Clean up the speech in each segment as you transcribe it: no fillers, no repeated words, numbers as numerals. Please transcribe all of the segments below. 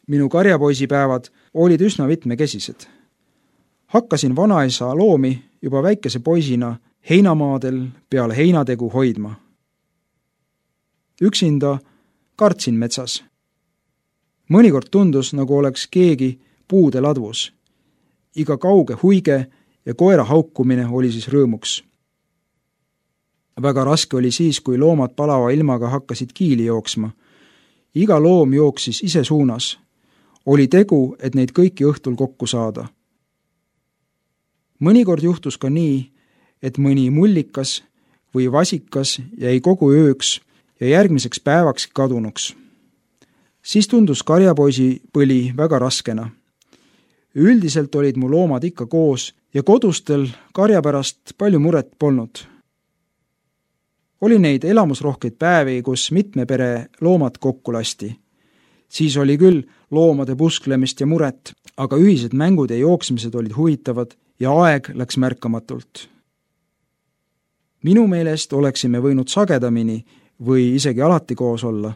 Minu karjapoisipäevad olid üsna mitmekesised. Hakkasin vanaisa loomi juba väikese poisina heinamaadel peale heinategu hoidma. Üksinda kartsin metsas. Mõnikord tundus, nagu oleks keegi puude ladvus. Iga kauge huige ja koera haukumine oli siis rõõmuks. Väga raske oli siis, kui loomad palava ilmaga hakkasid kiili jooksma. Iga loom jooksis ise suunas. Oli tegu, et neid kõiki õhtul kokku saada. Mõnikord juhtus ka nii, et mõni mullikas või vasikas jäi kogu ööks ja järgmiseks päevaks kadunuks. Siis tundus karjapoisi põli väga raskena. Üldiselt olid mu loomad ikka koos ja kodustel karja pärast palju muret polnud. Oli neid elamusrohkeid päevi, kus mitme pere loomad kokku lasti. Siis oli küll loomade pusklemist ja muret, aga ühised mängud ja jooksmised olid huvitavad ja aeg läks märkamatult. Minu meelest oleksime võinud sagedamini või isegi alati koos olla,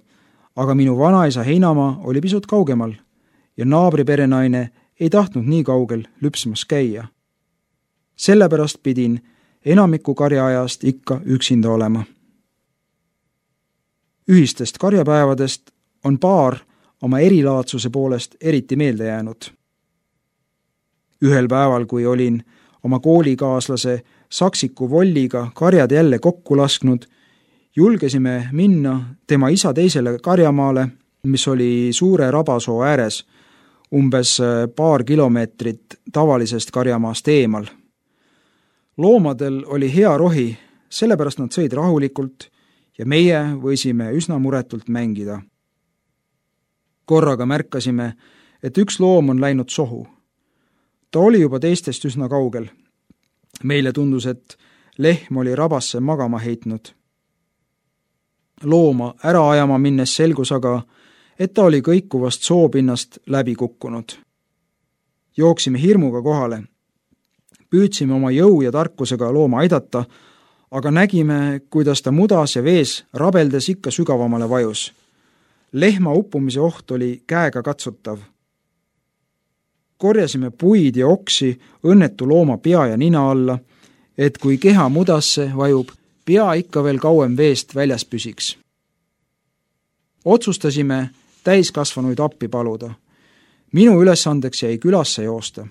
aga minu vanaisa heinamaa oli pisut kaugemal ja naabri perenaine ei tahtnud nii kaugel lüpsmas käia. Sellepärast pidin enamiku karjaajast ikka üksinda olema. Ühistest karjapäevadest on paar oma erilaadsuse poolest eriti meelde jäänud. Ühel päeval, kui olin oma koolikaaslase Saksiku Volliga karjad jälle kokku lasknud, julgesime minna tema isa teisele karjamaale, mis oli suure rabasoo ääres, umbes paar kilomeetrit tavalisest karjamaast eemal. Loomadel oli hea rohi, sellepärast nad sõid rahulikult ja meie võisime üsna muretult mängida. Korraga märkasime, et üks loom on läinud sohu. Ta oli juba teistest üsna kaugel. Meile tundus, et lehm oli rabasse magama heitnud. Looma ära ajama minnes selgus aga, et ta oli kõikuvast soopinnast läbi kukkunud. Jooksime hirmuga kohale. Püüdsime oma jõu ja tarkusega looma aidata, aga nägime, kuidas ta mudas ja vees rabeldes ikka sügavamale vajus. Lehma uppumise oht oli käega katsutav. Korjasime puid ja oksi õnnetu looma pea ja nina alla, et kui keha mudasse vajub, pea ikka veel kauem veest väljas püsiks. Otsustasime täiskasvanuid appi paluda. Minu ülesandeks jäi külasse joosta.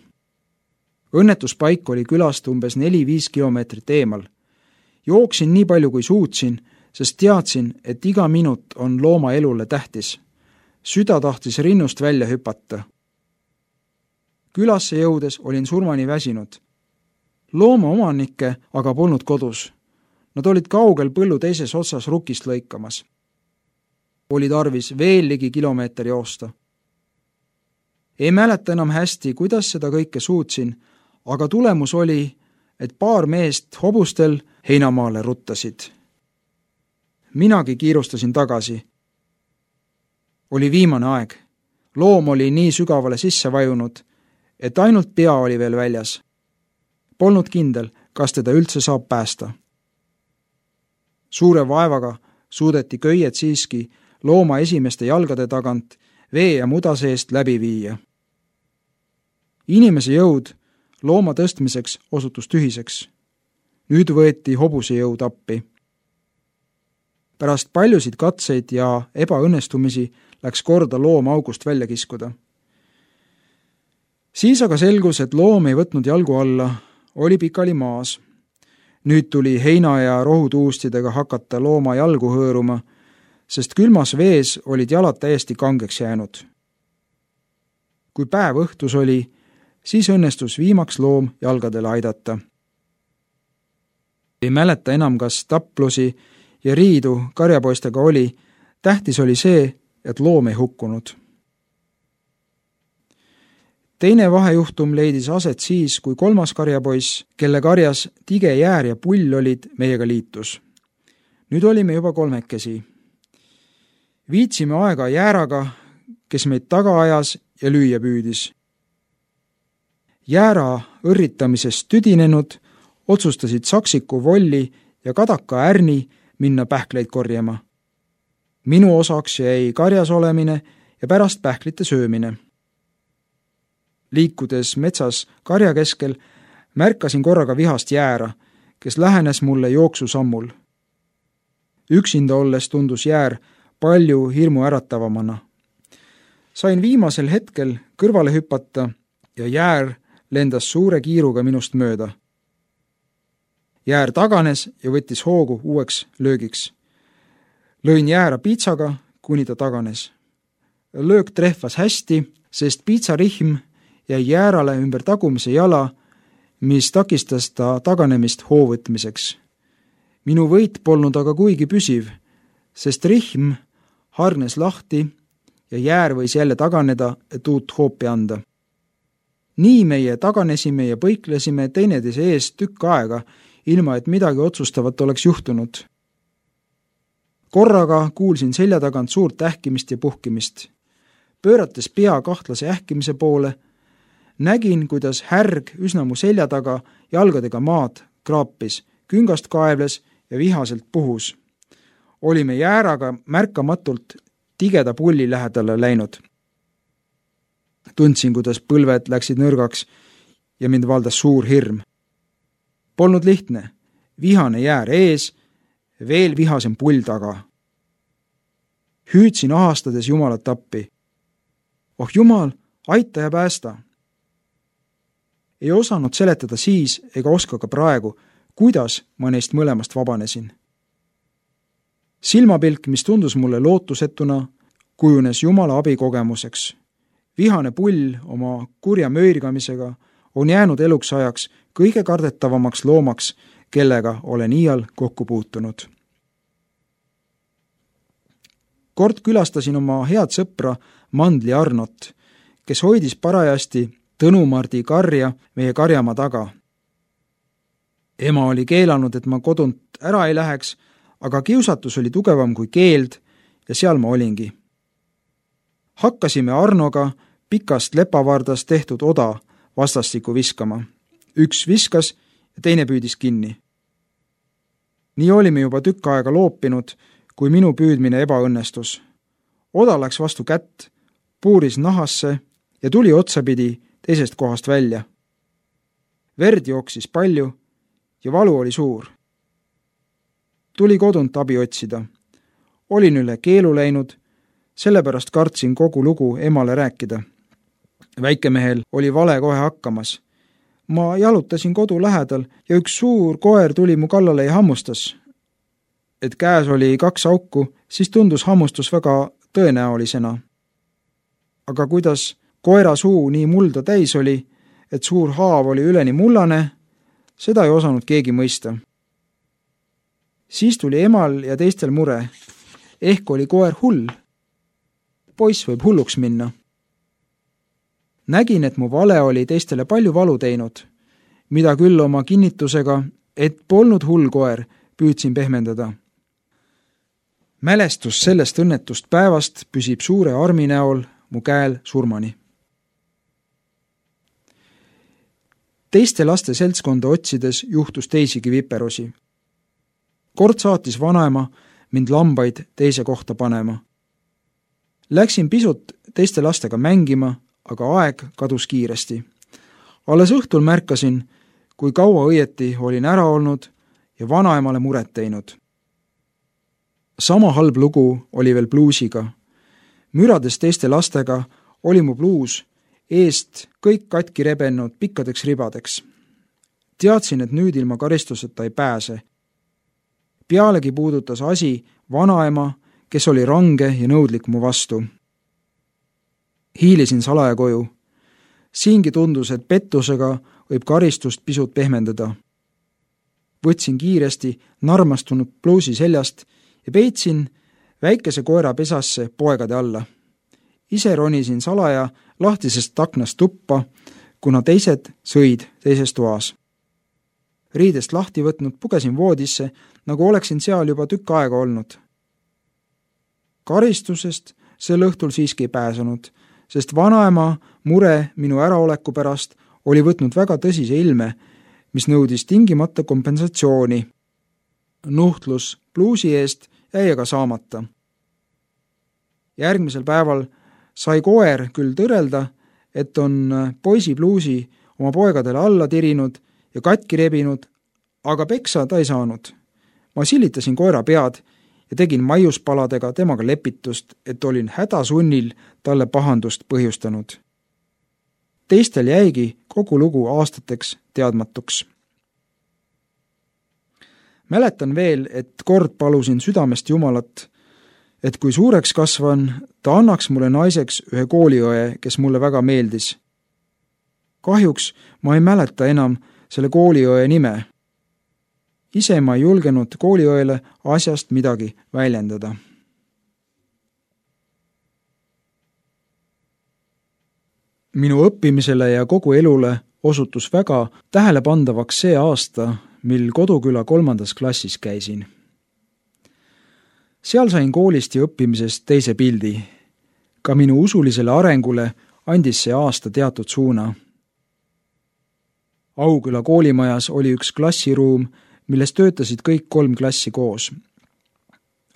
Õnnetuspaik oli külast umbes 4-5 kilomeetrit eemal. Jooksin nii palju kui suutsin, sest teadsin, et iga minut on looma elule tähtis. Süda tahtis rinnust välja hüpata. Külasse jõudes olin surmani väsinud. Looma omanikke aga polnud kodus. Nad olid kaugel põllu teises otsas rukist lõikamas. Oli tarvis veel ligi kilomeeter joosta. Ei mäleta enam hästi, kuidas seda kõike suutsin, aga tulemus oli, et paar meest hobustel heinamaale ruttasid. Minagi kiirustasin tagasi. Oli viimane aeg. Loom oli nii sügavale sisse vajunud, et ainult pea oli veel väljas. Polnud kindel, kas teda üldse saab päästa. Suure vaevaga suudeti köied siiski looma esimeste jalgade tagant vee ja muda seest läbi viia. Inimese jõud looma tõstmiseks osutus tühiseks. Nüüd võeti hobuse jõud appi. Pärast paljusid katseid ja ebaõnnestumisi läks korda loom august välja kiskuda. Siis aga selgus, et loom ei võtnud jalgu alla, oli pikali maas. Nüüd tuli heina ja rohutuustidega hakata looma jalgu hõõruma, sest külmas vees olid jalad täiesti kangeks jäänud. Kui päev õhtus oli, siis õnnestus viimaks loom jalgadele aidata. Ei mäleta enam, kas taplusi ja riidu karjapoistega oli, tähtis oli see, et loom ei hukkunud. Teine vahejuhtum leidis aset siis, kui kolmas karjapoiss, kelle karjas tige jäär ja pull olid, meiega liitus. Nüüd olime juba kolmekesi. Viitsime aega jääraga, kes meid taga ajas ja lüüa püüdis. Jäära õrritamisest tüdinenud otsustasid Saksiku Volli ja Kadaka Ärni minna pähkleid korjama. Minu osaks jäi karjas olemine ja pärast pähklite söömine. Liikudes metsas karja keskel, märkasin korraga vihast Jäära, kes lähenes mulle jooksusammul. Üksinda olles tundus Jäär palju hirmu äratavamana. Sain viimasel hetkel kõrvale hüpata ja Jäär lendas suure kiiruga minust mööda. Jäär taganes ja võttis hoogu uueks löögiks. Lõin Jäära piitsaga, kuni ta taganes. Löök trehvas hästi, sest piitsarihm jäi Jäärale ümber tagumise jala, mis takistas ta taganemist hoovõtmiseks. Minu võit polnud aga kuigi püsiv, sest rihm hargnes lahti ja Jäär võis jälle taganeda, et uut hoopi anda. Nii meie taganesime ja põiklesime teineteise ees tükk aega, ilma et midagi otsustavat oleks juhtunud. Korraga kuulsin selja tagant suurt ähkimist ja puhkimist. Pöörates pea kahtlase ähkimise poole, nägin, kuidas härg üsna mu selja taga jalgadega maad kraapis, küngast kaevles ja vihaselt puhus. Olime Jääraga märkamatult tigeda pulli lähedale läinud. Tundsin, kuidas põlved läksid nõrgaks ja mind valdas suur hirm. Polnud lihtne, vihane Jäär ees, veel vihasem pull taga. Hüüdsin ahastades Jumalat appi. Oh Jumal, aita ja päästa! Ei osanud seletada siis ega oska ka praegu, kuidas ma neist mõlemast vabanesin. Silmapilk, mis tundus mulle lootusetuna, kujunes Jumala abikogemuseks. Vihane pull oma kurja möirgamisega on jäänud eluks ajaks kõige kardetavamaks loomaks, kellega olen iial kokku puutunud. Kord külastasin oma head sõpra Mandli Arnot, kes hoidis parajasti Tõnumardi karja meie karjamaa taga. Ema oli keelanud, et ma kodunt ära ei läheks, aga kiusatus oli tugevam kui keeld ja seal ma olingi. Hakkasime Arnoga pikast lepavardast tehtud oda vastastikku viskama. Üks viskas ja teine püüdis kinni. Nii olime juba tükk aega loopinud, kui minu püüdmine ebaõnnestus. Oda läks vastu kätt, puuris nahasse ja tuli otsapidi teisest kohast välja. Verd jooksis palju ja valu oli suur. Tuli kodunt abi otsida. Olin üle keelu läinud, sellepärast kartsin kogu lugu emale rääkida. Väikemehel oli vale kohe hakkamas. Ma jalutasin kodu lähedal ja üks suur koer tuli mu kallale ja hammustas. Et käes oli 2 auku, siis tundus hammustus väga tõenäolisena. Aga kuidas koera suu nii mulda täis oli, et suur haav oli üleni mullane, seda ei osanud keegi mõista. Siis tuli emal ja teistel mure. Ehk oli koer hull. Poiss võib hulluks minna. Nägin, et mu vale oli teistele palju valu teinud, mida küll oma kinnitusega, et polnud hull koer, püüdsin pehmendada. Mälestus sellest õnnetust päevast püsib suure armi näol mu käel surmani. Teiste laste seltskonda otsides juhtus teisigi viperusi. Kord saatis vanaema mind lambaid teise kohta panema. Läksin pisut teiste lastega mängima, aga aeg kadus kiiresti. Alles õhtul märkasin, kui kaua õieti olin ära olnud ja vanaemale muret teinud. Sama halb lugu oli veel bluusiga. Mürades teiste lastega oli mu bluus eest kõik katki rebennud pikkadeks ribadeks. Teadsin, et nüüd ilma karistuseta ei pääse. Pealegi puudutas asi vanaema, kes oli range ja nõudlik mu vastu. Hiilisin salaja koju. Siingi tundus, et pettusega võib karistust pisut pehmendada. Võtsin kiiresti narmastunud bluusi seljast ja peitsin väikese koera pesasse poegade alla. Ise ronisin salaja lahtisest aknast tuppa, kuna teised sõid teises toas. Riidest lahti võtnud pugesin voodisse, nagu oleksin seal juba tükk aega olnud. Karistusest sel õhtul siiski ei pääsenud, sest vanaema mure minu äraoleku pärast oli võtnud väga tõsise ilme, mis nõudis tingimata kompensatsiooni. Nuhtlus bluusi eest jäi aga saamata. Järgmisel päeval Sai koer küll tõrelda, et on poisi pluusi oma poegadele alla tirinud ja katki rebinud, aga peksa ta ei saanud. Ma silitasin koera pead ja tegin maiuspaladega temaga lepitust, et olin hädasunnil talle pahandust põhjustanud. Teistel jäigi kogu lugu aastateks teadmatuks. Mäletan veel, et kord palusin südamest Jumalat, et kui suureks kasvan, ta annaks mulle naiseks ühe kooliõe, kes mulle väga meeldis. Kahjuks ma ei mäleta enam selle kooliõe nime. Ise ma ei julgenud kooliõele asjast midagi väljendada. Minu õppimisele ja kogu elule osutus väga tähelepandavaks see aasta, mil Koduküla 3. klassis käisin. Seal sain koolist ja õppimisest teise pildi. Ka minu usulisele arengule andis see aasta teatud suuna. Auküla koolimajas oli üks klassiruum, milles töötasid kõik 3 klassi koos.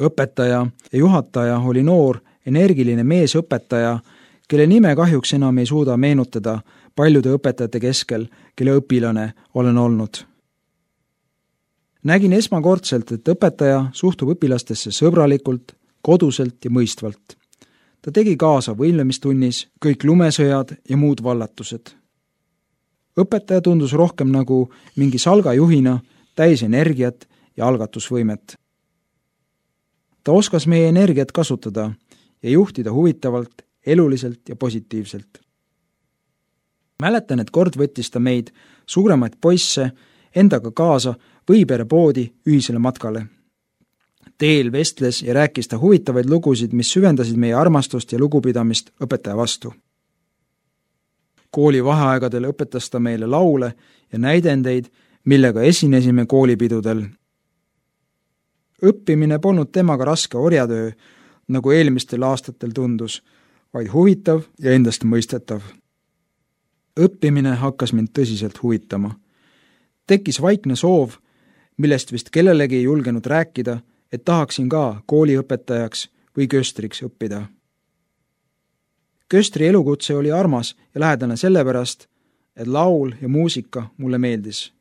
Õpetaja ja juhataja oli noor, energiline meesõpetaja, kelle nime kahjuks enam ei suuda meenutada paljude õpetajate keskel, kelle õpilane olen olnud. Nägin esmakordselt, et õpetaja suhtub õpilastesse sõbralikult, koduselt ja mõistvalt. Ta tegi kaasa võimlemistunnis kõik lumesõjad ja muud vallatused. Õpetaja tundus rohkem nagu mingi salgajuhina, täis energiat ja algatusvõimet. Ta oskas meie energiat kasutada ja juhtida huvitavalt, eluliselt ja positiivselt. Mäletan, et kord võttis ta meid, suuremaid poisse, endaga kaasa Võipere poodi ühisele matkale. Teel vestles ja rääkis ta huvitavaid lugusid, mis süvendasid meie armastust ja lugupidamist õpetaja vastu. Kooli vaheaegadel õpetas ta meile laule ja näidendeid, millega esinesime koolipidudel. Õppimine polnud temaga raske orjatöö, nagu eelmistel aastatel tundus, vaid huvitav ja endast mõistetav. Õppimine hakkas mind tõsiselt huvitama. Tekkis vaikne soov, millest vist kellelegi ei julgenud rääkida, et tahaksin ka kooliõpetajaks või köstriks õppida. Köstri elukutse oli armas ja lähedane sellepärast, et laul ja muusika mulle meeldis.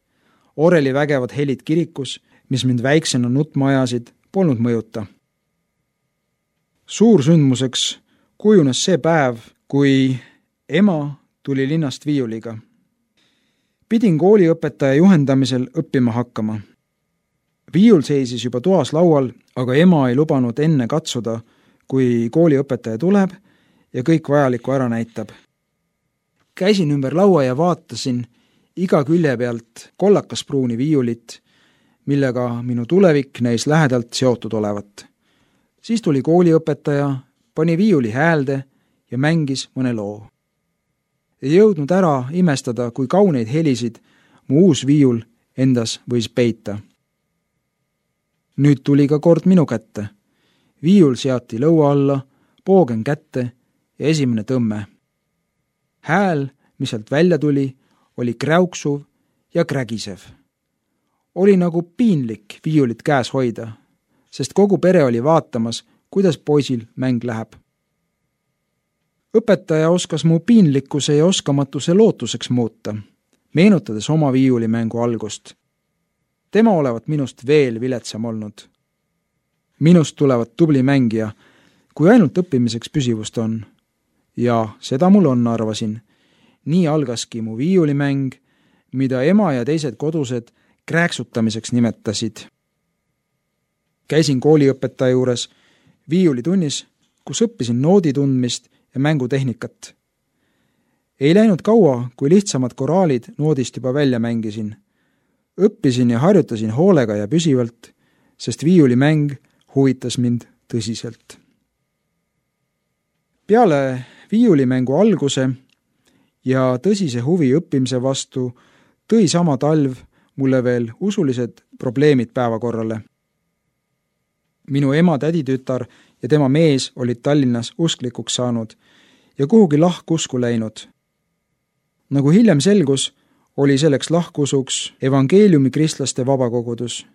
Oreli vägevad helid kirikus, mis mind väiksena nutma ajasid, polnud mõjuta. Suursündmuseks kujunes see päev, kui ema tuli linnast viiuliga. Pidin kooliõpetaja juhendamisel õppima hakkama. Viiul seisis juba toas laual, aga ema ei lubanud enne katsuda, kui kooliõpetaja tuleb ja kõik vajalikku ära näitab. Käisin ümber laua ja vaatasin iga külje pealt kollakaspruuni viiulit, millega minu tulevik näis lähedalt seotud olevat. Siis tuli kooliõpetaja, pani viiuli häälde ja mängis mõne loo. Ei jõudnud ära imestada, kui kauneid helisid mu uus viiul endas võis peita. Nüüd tuli ka kord minu kätte. Viiul seati lõua alla, poogen kätte ja esimene tõmme. Hääl, mis sealt välja tuli, oli kräuksuv ja krägisev. Oli nagu piinlik viiulit käes hoida, sest kogu pere oli vaatamas, kuidas poisil mäng läheb. Õpetaja oskas mu piinlikkuse ja oskamatuse lootuseks muuta, meenutades oma viiulimängu algust. Tema olevat minust veel viletsam olnud. Minust tulevat tubli mängija, kui ainult õppimiseks püsivust on. Ja seda mul on, arvasin. Nii algaski mu viiulimäng, mida ema ja teised kodused krääksutamiseks nimetasid. Käisin kooliõpetaja juures viiulitunnis, kus õppisin noodi tundmist ja mängutehnikat. Ei läinud kaua, kui lihtsamad koraalid noodist juba välja mängisin. Õppisin ja harjutasin hoolega ja püsivalt, sest viiulimäng huvitas mind tõsiselt. Peale viiulimängu alguse ja tõsise huvi õppimise vastu tõi sama talv mulle veel usulised probleemid päevakorrale. Minu ema täditütar ja tema mees olid Tallinnas usklikuks saanud ja kuhugi lahkusku läinud. Nagu hiljem selgus, oli selleks lahkusuks evangeeliumi kristlaste vabakogudus.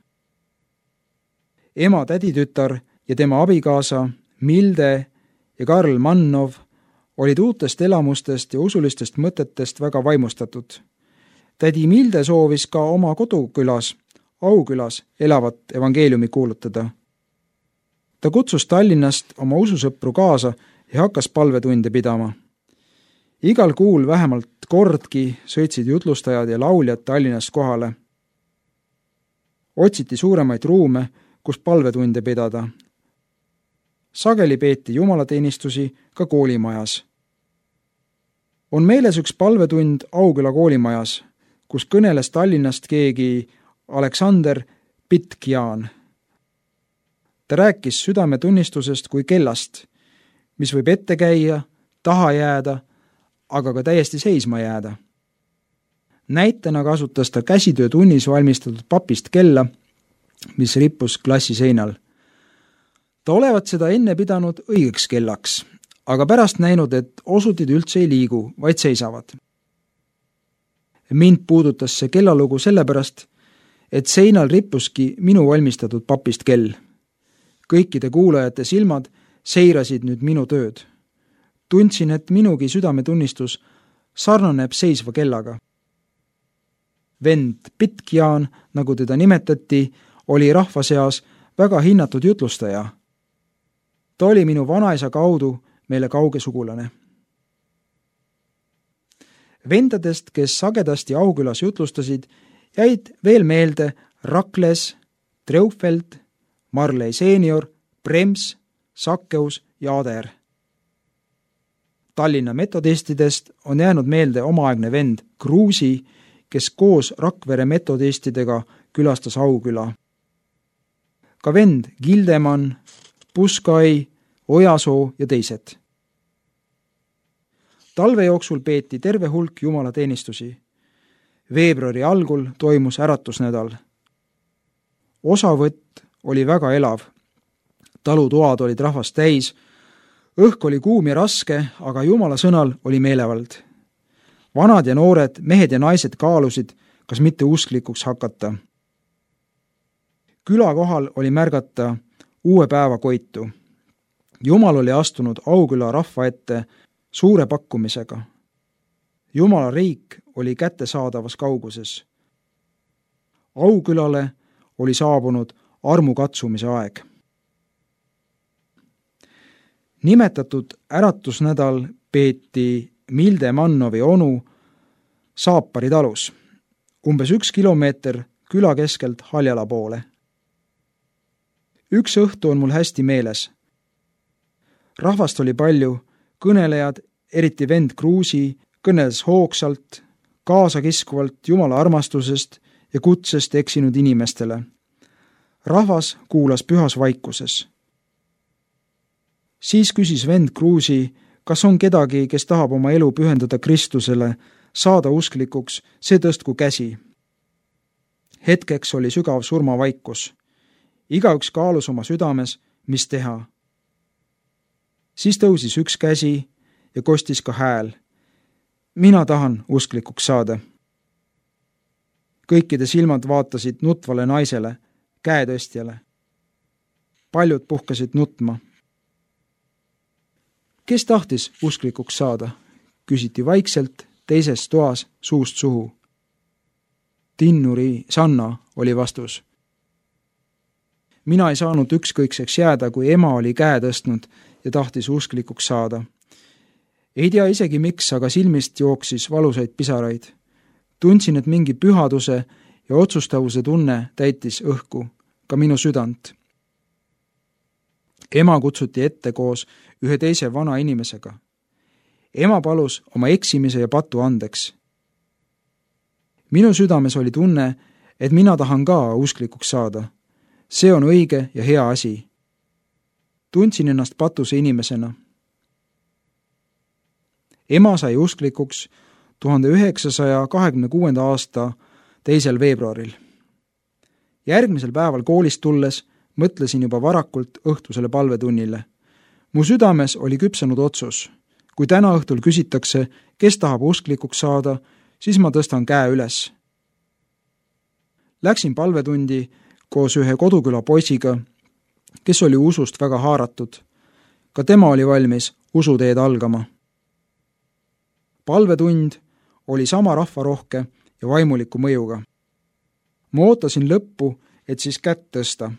Ema täditütar ja tema abikaasa Milde ja Karl Mannov olid uutest elamustest ja usulistest mõtetest väga vaimustatud. Tädi Milde soovis ka oma kodukülas, Aukülas elavat evangeeliumi kuulutada. Ta kutsus Tallinnast oma ususõpru kaasa ja hakkas palvetunde pidama. Igal kuul vähemalt kordki sõitsid jutlustajad ja lauljad Tallinnast kohale. Otsiti suuremaid ruume, kus palvetunde pidada. Sageli peeti jumalateenistusi ka koolimajas. On meeles üks palvetund Auküla koolimajas, kus kõneles Tallinnast keegi Aleksander Pitkjaan. Ta rääkis südametunnistusest kui kellast, mis võib ette käia, taha jääda, aga ka täiesti seisma jääda. Näitena kasutas ta käsitöötunnis valmistatud papist kella, mis rippus klassi seinal. Ta olevat seda enne pidanud õigeks kellaks, aga pärast näinud, et osutid üldse ei liigu, vaid seisavad. Mind puudutas see kellalugu sellepärast, et seinal rippuski minu valmistatud papist kell. Kõikide kuulajate silmad seirasid nüüd minu tööd. Tundsin, et minugi südametunnistus sarnaneb seisva kellaga. Vend Pitkjaan, nagu teda nimetati, oli rahva seas väga hinnatud jutlustaja. Ta oli minu vanaisa kaudu meile kauge sugulane. Vendadest, kes sagedasti Aukülas jutlustasid, jäid veel meelde Rakles, Treufeld, Marley seenior, Brems, Sakkeus ja Ader. Tallinna metodistidest on jäänud meelde omaaegne vend Kruusi, kes koos Rakvere metodistidega külastas Auküla. Ka vend Gildemann, Puskai, Ojasoo ja teised. Talve jooksul peeti terve hulk jumalateenistusi. Veebruari algul toimus äratusnädal. Osavõtt oli väga elav. Talutoad olid rahvast täis. Õhk oli kuum ja raske, aga Jumala sõnal oli meelevald. Vanad ja noored, mehed ja naised kaalusid, kas mitte usklikuks hakata. Küla kohal oli märgata uue päeva koitu. Jumal oli astunud Auküla rahva ette suure pakkumisega. Jumala riik oli kättesaadavas kauguses. Aukülale oli saabunud armukatsumise aeg. Nimetatud äratusnädal peeti Milde Mannovi onu Saapari talus, umbes 1 kilomeeter küla keskelt Haljala poole. Üks õhtu on mul hästi meeles. Rahvast oli palju, kõnelejad, eriti vend Kruusi, kõneles hoogsalt, kaasakiskuvalt Jumala armastusest ja kutsest eksinud inimestele. Rahvas kuulas pühas vaikuses. Siis küsis vend Kruusi, kas on kedagi, kes tahab oma elu pühendada Kristusele, saada usklikuks, see tõstku käsi. Hetkeks oli sügav surmavaikus. Igaüks kaalus oma südames, mis teha. Siis tõusis üks käsi ja kostis ka hääl. Mina tahan usklikuks saada. Kõikide silmad vaatasid nutvale naisele, käetõstjale. Paljud puhkasid nutma. Kes tahtis usklikuks saada? Küsiti vaikselt teises toas suust suhu. Tinnuri Sanna oli vastus. Mina ei saanud ükskõikseks jääda, kui ema oli käe tõstnud ja tahtis usklikuks saada. Ei tea isegi miks, aga silmist jooksis valusaid pisaraid. Tundsin, et mingi pühaduse ja otsustavuse tunne täitis õhku, ka minu südant. Ema kutsuti ette koos ühe teise vana inimesega. Ema palus oma eksimise ja patu andeks. Minu südames oli tunne, et mina tahan ka usklikuks saada. See on õige ja hea asi. Tundsin ennast patuse inimesena. Ema sai usklikuks 1926. aasta 2. veebruaril. Järgmisel päeval koolist tulles mõtlesin juba varakult õhtusele palvetunnile. Mu südames oli küpsenud otsus. Kui täna õhtul küsitakse, kes tahab usklikuks saada, siis ma tõstan käe üles. Läksin palvetundi koos ühe koduküla poisiga, kes oli usust väga haaratud. Ka tema oli valmis usuteed algama. Palvetund oli sama rahvarohke ja vaimuliku mõjuga. Ma ootasin lõppu, et siis kätt tõsta.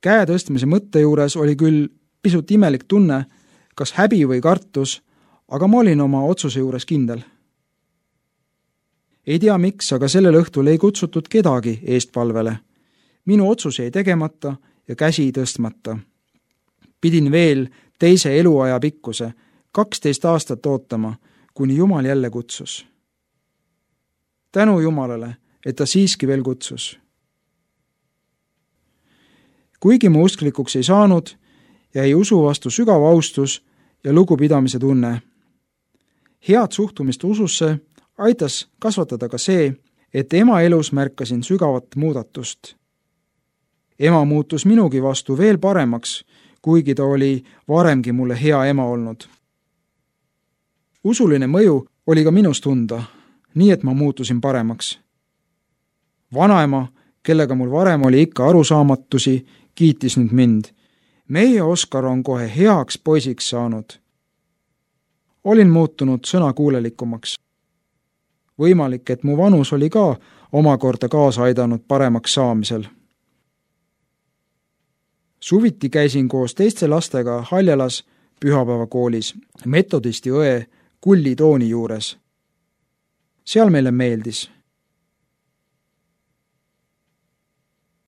Käe tõstmise mõtte juures oli küll pisut imelik tunne, kas häbi või kartus, aga ma olin oma otsuse juures kindel. Ei tea miks, aga sellel õhtul ei kutsutud kedagi eestpalvele. Minu otsus jäi tegemata ja käsi tõstmata. Pidin veel teise eluaja pikkuse, 12 aastat ootama, kuni Jumal jälle kutsus. Tänu Jumalale, et ta siiski veel kutsus. Kuigi ma usklikuks ei saanud, jäi usu vastu sügav austus ja lugupidamise tunne. Head suhtumist ususse aitas kasvatada ka see, et ema elus märkasin sügavat muudatust. Ema muutus minugi vastu veel paremaks, kuigi ta oli varemgi mulle hea ema olnud. Usuline mõju oli ka minus tunda, nii et ma muutusin paremaks. Vanaema, kellega mul varem oli ikka arusaamatusi, kiitis nüüd mind. Meie Oskar on kohe heaks poisiks saanud. Olin muutunud sõnakuulelikumaks. Võimalik, et mu vanus oli ka omakorda kaasa aidanud paremaks saamisel. Suviti käisin koos teiste lastega Haljalas pühapäevakoolis metodisti õe Kulli Tooni juures. Seal meile meeldis.